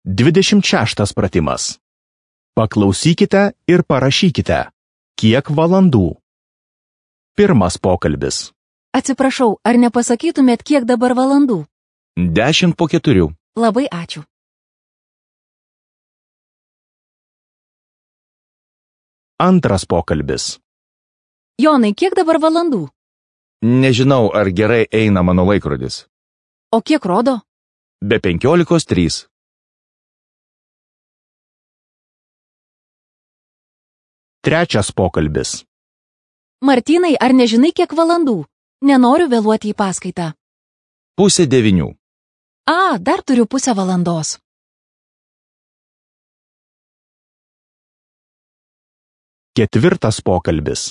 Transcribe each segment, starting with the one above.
26 pratimas. Paklausykite ir parašykite, kiek valandų. Pirmas pokalbis. Atsiprašau, ar nepasakytumėt, kiek dabar valandų? 10:04. Labai ačiū. Antras pokalbis. Jonai, kiek dabar valandų? Nežinau, ar gerai eina mano laikrodis. O kiek rodo? Be 15:03. Trečias pokalbis. Martynai, ar nežinai, kiek valandų? Nenoriu vėluoti į paskaitą. 8:30. Dar turiu pusę valandos. Ketvirtas pokalbis.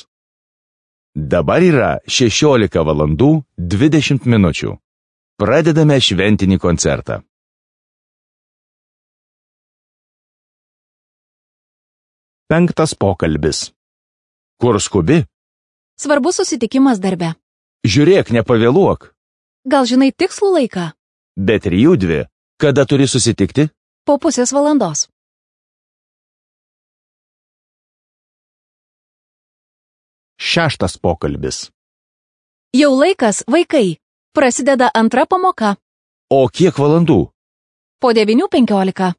Dabar yra 16:20. Pradedame šventinį koncertą. Penktas pokalbis. Kur skubi? Svarbus susitikimas darbe. Žiūrėk, nepavėluok. Gal žinai tikslų laiką? Be 3:02. Kada turi susitikti? Po pusės valandos. Šeštas pokalbis. Jau laikas, vaikai. Prasideda antra pamoka. O kiek valandų? Po 9:15.